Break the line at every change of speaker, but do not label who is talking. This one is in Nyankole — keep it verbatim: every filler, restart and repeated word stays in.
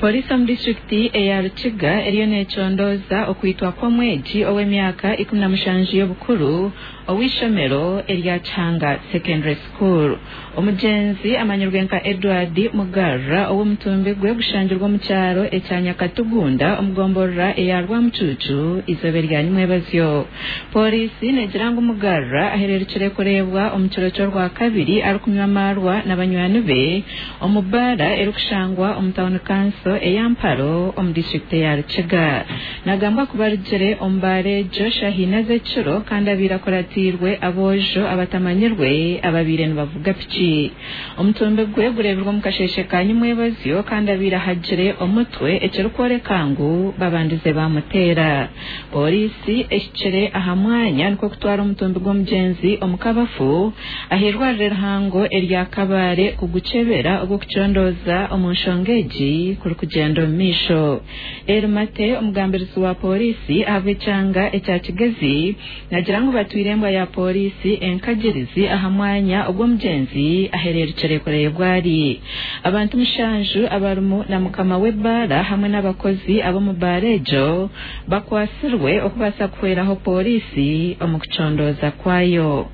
Polisi omu disitulikiti eya Rukiga eriyo necondooza okwitwa kw'omwegi ow'emyaka ikumi na mushanju y'obukuru ow'eishomero erya Kihanga Secondary School. Omugyenzi amanyirwe nka Edward Mugarra, ow'omutumbi gwe gushangirwe omu kyaro ekya Nyakatugunda omu gomborora eya Rwamucucu eizooba erya nyimwebazyo. Polisi negira ngu Mugarra ahererukire kureebwa omu kiro ky'orwakabiri arikunywa amaarwa na banywani be omu baara erikushangwa omu tawuni kanso eya Mparo omu disitulikiti eya Rukiga. Nagambwa kuba arugire omu baara egyo shaaha ina z'ekiro kandi abaire akuratiirwe aboojo abatamanyirwe ababaire nibavuga piki. Omutumbi gwe gureebirwe omu kasheeshe ka nyimwebazyo kandi abaire ahagire omutwe, ekirikworeka ngu babandize bamuteera. Polisi ehikire aha mwanya nikwo kutwara omutumbi gw'omugyenzi omu kabafu ah'eirwariro erihango erya Kabale kugukyebera ogw'okucondooza omu nshonga egi kurikugyenda omu maisho. Erimate, omugambirizi wa polisi ahabw'ekyanga ekya Kigezi, nagira ngu batwire embwa ya polisi enkagirizi aha mwanya ogw'omugyenzi ahererukire kureebwa ari. Abantu mushanju abarimu na mukama w'ebbaara hamwe n'abakozi ab'omu baara egyo bakwatsirwe okubaasa kuhweraho polisi omu kucondooza kwayo.